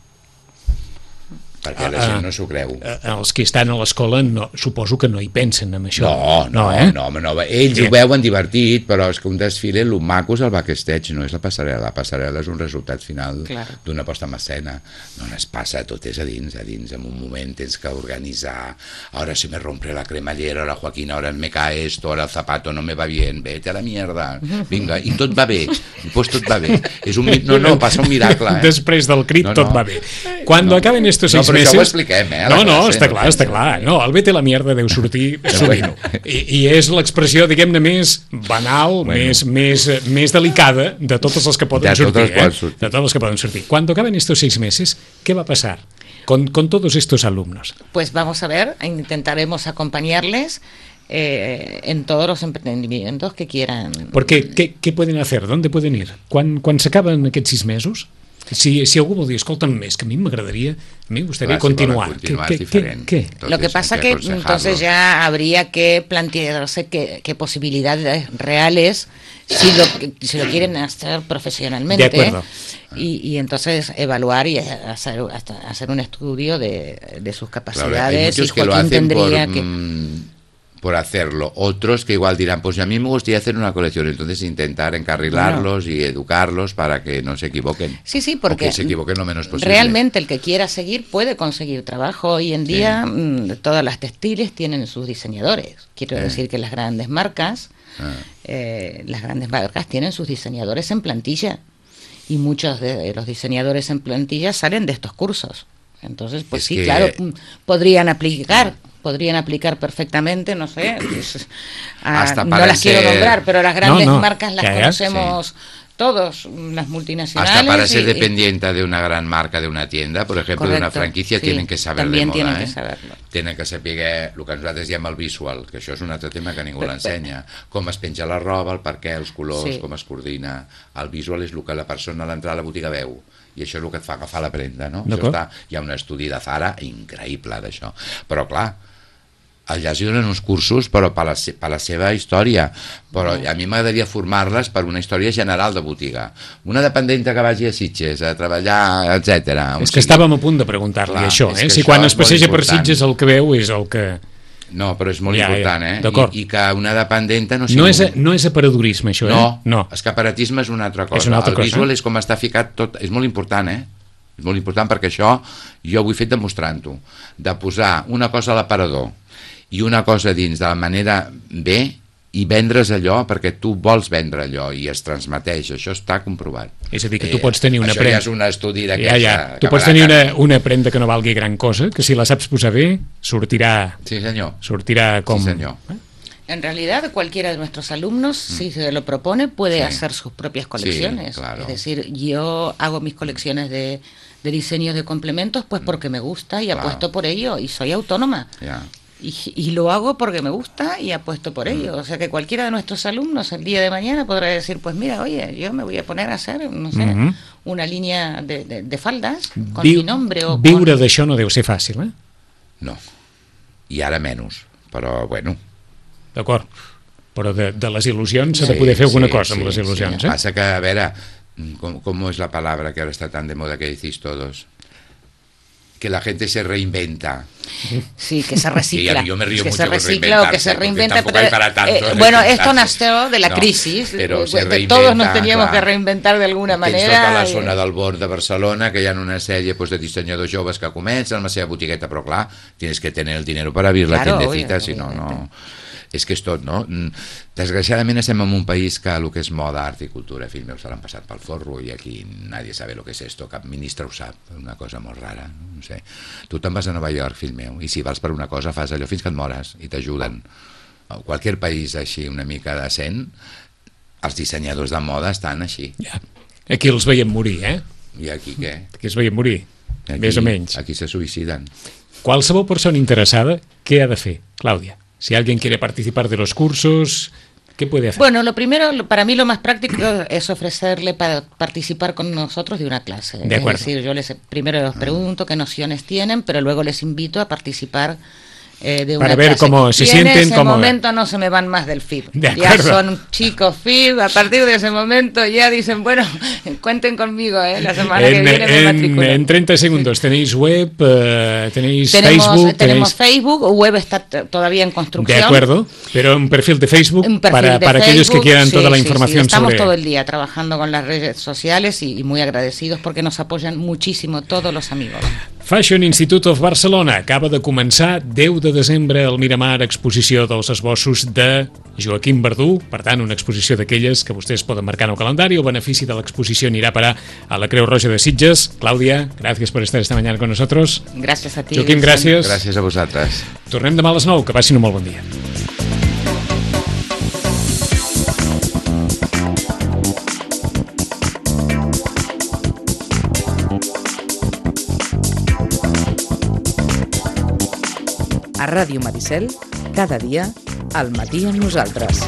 Perquè la Ah, gent no s'ho creu. Eh, Els que estan a l'escola no, suposo que no hi pensen en això. No, no, eh? no, no, no, ells Bien. ho veuen divertit, però és que un desfile, el maco és el backstage, no és la passarel·la. La passarel·la és un resultat final Claro. d'una posta en escena. No es passa, tot és a dins, a dins. En un moment tens que organitzar. Ahora se me rompe la cremallera, la Joaquín, ahora me cae esto, ahora el zapato no me va bien, vete a la mierda. Vinga, i tot va bé, i pues tot va bé. És un, mi- no, no, passa un miracle, eh? Després del crit No, tot no. va bé. Quan No. acaben estos No, seis però això meses... ho expliquem, eh, a la No, no, classe, està no clar, penso. està clar. No, el vete a la mierda deu sortir sovint. I, I és l'expressió, diguem-ne, més banal, Bueno. més, més, més delicada de totes les que poden De totes sortir. les que poden eh? sortir. De totes les que poden sortir. Cuando acaben estos seis meses, ¿qué va a pasar con, con todos estos alumnos? Pues vamos a ver, intentaremos acompañarles eh, en todos los emprendimientos que quieran. Perquè què, què poden hacer? ¿Dónde pueden ir? Quan, quan s'acaben aquests sis mesos, si, si algú vol dir, escolta'm més, que a mi m'agradaria, a mi m'agradaria Clar, si continuar. volen continuar què, és què, diferent. què? Tot Lo que eso hay pasa que aconsejarlo. entonces ya habría que plantearse qué, qué posibilidades reales si lo, si lo quieren hacer profesionalmente. De acuerdo. Y, y entonces evaluar y hacer, hasta hacer un estudio de, de sus Claro, hay capacidades. muchos y que lo Joaquín hacen por, tendría que... mm, por hacerlo. Otros que igual dirán, pues a mí me gustaría hacer una colección. Entonces intentar encarrilarlos y educarlos para que no se equivoquen. Sí, sí, O porque que se equivoquen lo menos posible. realmente el que quiera seguir puede conseguir trabajo. Hoy en día mm, todas las textiles tienen sus diseñadores. Quiero Sí. decir que las grandes marcas, Ah. eh, las grandes marcas tienen sus diseñadores en plantilla y muchos de los diseñadores en plantilla salen de estos cursos. Entonces, pues Es sí, que- claro, mm, podrían aplicar. Podrían aplicar perfectamente, no sé, pues, a- Hasta no para las quiero ser- nombrar, pero las grandes No, no, marcas las que haya, conocemos todos, las multinacionales. Hasta para ser y- y- dependiente de una gran marca, de una tienda, por ejemplo, de una Correcto, franquicia, sí, tienen que saber también de moda. tienen eh? que saberlo. Tenen que saber el que nosaltres diem el visual, que això és un altre tema que ningú l'ensenya. Com es penja la roba, el per què, els colors, Sí. com es coordina. El visual és el que la persona a l'entrar a la botiga veu, i això és el que et fa agafar la prenda, no? Això D'acord. està, hi ha un estudi de Zara increïble d'això. Però, clar, allà es donen uns cursos però per la, se- per la seva història, però a mi m'agradaria formar-les per una història general de botiga. Una dependenta que vagi a Sitges a treballar, etcètera. És que estàvem a punt de preguntar-li Clar, això, és eh? que Si això quan és es passeja molt per important. Sitges el que veu és el que... No, però és molt Ja, ja, important, eh? d'acord. I, I que una dependenta no sigui... No és, un- no és aparadorisme, això, eh? no, no. escaparatisme és una altra cosa. És una altra el cosa. visual és com està ficat tot, és molt important, eh? És molt important perquè això jo ho he fet demostrant-ho, de posar una cosa a l'aparador i una cosa dins de la manera bé i vendre's allò perquè tu vols vendre allò i es transmeteix, això està comprovat. És a dir, que tu pots tenir una això prenda... ja és un estudi Ja, d'aquesta... ja. Tu que pots farà tenir una, que- una prenda que no valgui gran cosa, que si la saps posar bé, sortirà, Sí, senyor. sortirà com... Sí, senyor. Eh? En realidad, cualquiera de nuestros alumnos, si se lo propone, puede Sí. hacer sus propias colecciones. claro. Es decir, yo hago mis colecciones de, de diseño de complementos, pues porque me gusta y Claro. apuesto por ello y soy autónoma. Ja. Y, y lo hago porque me gusta y apuesto por ello. O sea que cualquiera de nuestros alumnos el día de mañana podrá decir, pues mira, oye, yo me voy a poner a hacer, no sé, Mhm. una línea de, de, de faldas con Viu- mi nombre o Viure con... d'això no deu ser fàcil, eh? No. I ara menys, però bueno. D'acord. Però de, de les il·lusions s'ha Sí, de poder fer alguna sí, cosa amb sí, les il·lusions, sí. eh? Pasa que, a veure, ¿cómo, ¿cómo es la palabra que ahora está tan de moda que decís todos? Que la gente se reinventa. Sí, que se recicla. Sí, yo me río que mucho se con recicla o que se reinventarse, reinventa. porque tampoco hay para tanto, eh, ¿eh? bueno, esto Reinventarse. nació de la No, crisis. pero eh, se de- reinventa, todos nos teníamos clar. que reinventar de alguna Tens manera. tota la i- zona del Born de Barcelona, que hi ha una sèrie pues, de dissenyadors joves que comencen amb la seva botigueta, però clar, tienes que tener el dinero para abrir la Claro, tiendecita, obvio, si no, no... evidente. És que és tot, no? Mm, Desgraciadament estem en un país que el que és moda, art i cultura, fill meu, se l'han passat pel forro i aquí nadie sabe lo que es esto, cap ministre ho sap, una cosa molt rara, no sé. Tu te'n vas a Nova York, fill meu, i si vals per una cosa fas allò fins que et mores i t'ajuden. A qualsevol país així una mica decent, els dissenyadors de moda estan així. Ja. Aquí els veiem morir, eh? I aquí què? Aquí els veiem morir, Aquí, més o menys. Aquí se suïciden. Qualsevol persona interessada, què ha de fer, Clàudia? Si alguien quiere participar de los cursos, ¿qué puede hacer? Bueno, lo primero, lo- para mí lo más práctico es ofrecerle para participar con nosotros de una clase. De acuerdo. Es decir, yo les primero les pregunto qué nociones tienen, pero luego les invito a participar eh, de una Para ver clase. cómo se y sienten, en ese cómo- momento no se me van más del F I B. De Ya acuerdo. son chicos F I B, a partir de ese momento ya dicen, bueno, cuenten conmigo, ¿eh? La semana que En, viene me en, matriculo. en treinta segundos, ¿tenéis web? eh, ¿Tenéis Tenemos, Facebook? tenemos tenéis... Facebook, web está t- todavía en construcción. De acuerdo, pero un perfil de Facebook Un perfil para, de para aquellos que Facebook, quieran sí, toda la sí, sí. información Estamos sobre... todo el día trabajando con las redes sociales y, y muy agradecidos porque nos apoyan muchísimo todos los amigos. Fashion Institute of Barcelona acaba de començar deu de desembre al Miramar exposició dels esbossos de Joaquim Verdú, per tant una exposició d'aquelles que vostès poden marcar en el calendari. El benefici de l'exposició anirà a parar a la Creu Roja de Sitges. Clàudia, gracias por estar esta mañana con nosotros. Gracias a ti. Joaquim, Vicent. gràcies. Gràcies a vosaltres. Tornem demà a les nou, que passin un molt bon dia. A Ràdio Maricel, cada dia, al matí amb nosaltres.